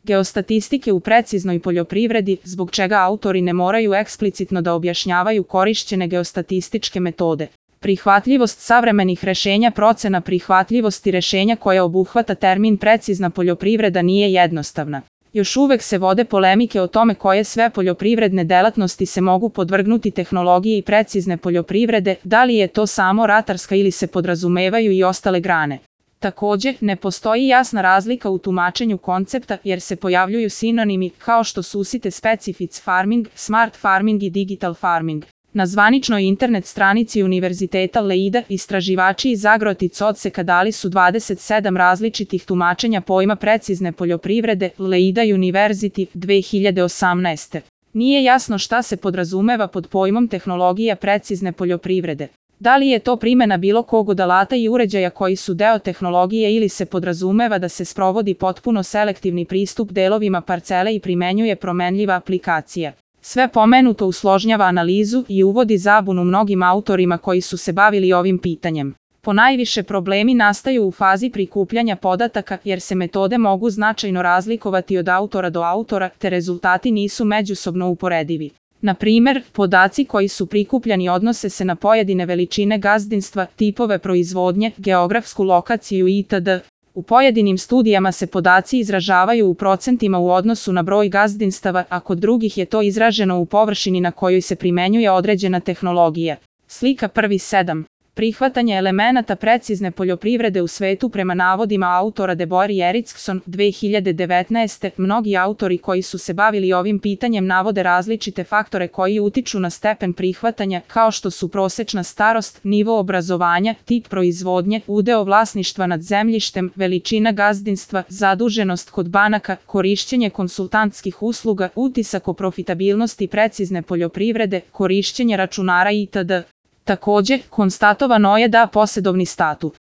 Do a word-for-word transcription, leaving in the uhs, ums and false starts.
geostatistike u preciznoj poljoprivredi, zbog čega autori ne moraju eksplicitno da objašnjavaju korišćene geostatističke metode. Prihvatljivost savremenih rešenja. Procena prihvatljivosti rešenja koja obuhvata termin precizna poljoprivreda nije jednostavna. Još uvek se vode polemike o tome koje sve poljoprivredne delatnosti se mogu podvrgnuti tehnologiji precizne poljoprivrede, da li je to samo ratarska ili se podrazumevaju i ostale grane. Takođe, ne postoji jasna razlika u tumačenju koncepta jer se pojavljuju sinonimi kao što su usite specific farming, smart farming i digital farming. Na zvaničnoj internet stranici Univerziteta Leida istraživači iz Agrotic odseka dali su dvadeset sedam različitih tumačenja pojma precizne poljoprivrede Leida University dve hiljade osamnaeste. Nije jasno šta se podrazumeva pod pojmom tehnologija precizne poljoprivrede. Da li je to primena bilo kog od alata i uređaja koji su deo tehnologije ili se podrazumeva da se sprovodi potpuno selektivni pristup delovima parcele i primenjuje promenljiva aplikacija. Sve pomenuto usložnjava analizu i uvodi zabunu mnogim autorima koji su se bavili ovim pitanjem. Ponajviše problemi nastaju u fazi prikupljanja podataka jer se metode mogu značajno razlikovati od autora do autora te rezultati nisu međusobno uporedivi. Na primer, podaci koji su prikupljani odnose se na pojedine veličine gazdinstva, tipove proizvodnje, geografsku lokaciju itd. U pojedinim studijama se podaci izražavaju u procentima u odnosu na broj gazdinstava, a kod drugih je to izraženo u površini na kojoj se primenjuje određena tehnologija. Slika prvi sedam. Prihvatanje elemenata precizne poljoprivrede u svetu. Prema navodima autora Deborah Erickson dve hiljade devetnaeste. Mnogi autori koji su se bavili ovim pitanjem navode različite faktore koji utiču na stepen prihvatanja, kao što su prosečna starost, nivo obrazovanja, tip proizvodnje, udeo vlasništva nad zemljištem, veličina gazdinstva, zaduženost kod banaka, korišćenje konsultantskih usluga, utisak o profitabilnosti precizne poljoprivrede, korišćenje računara itd. Takođe, konstatovano je da posedovni statut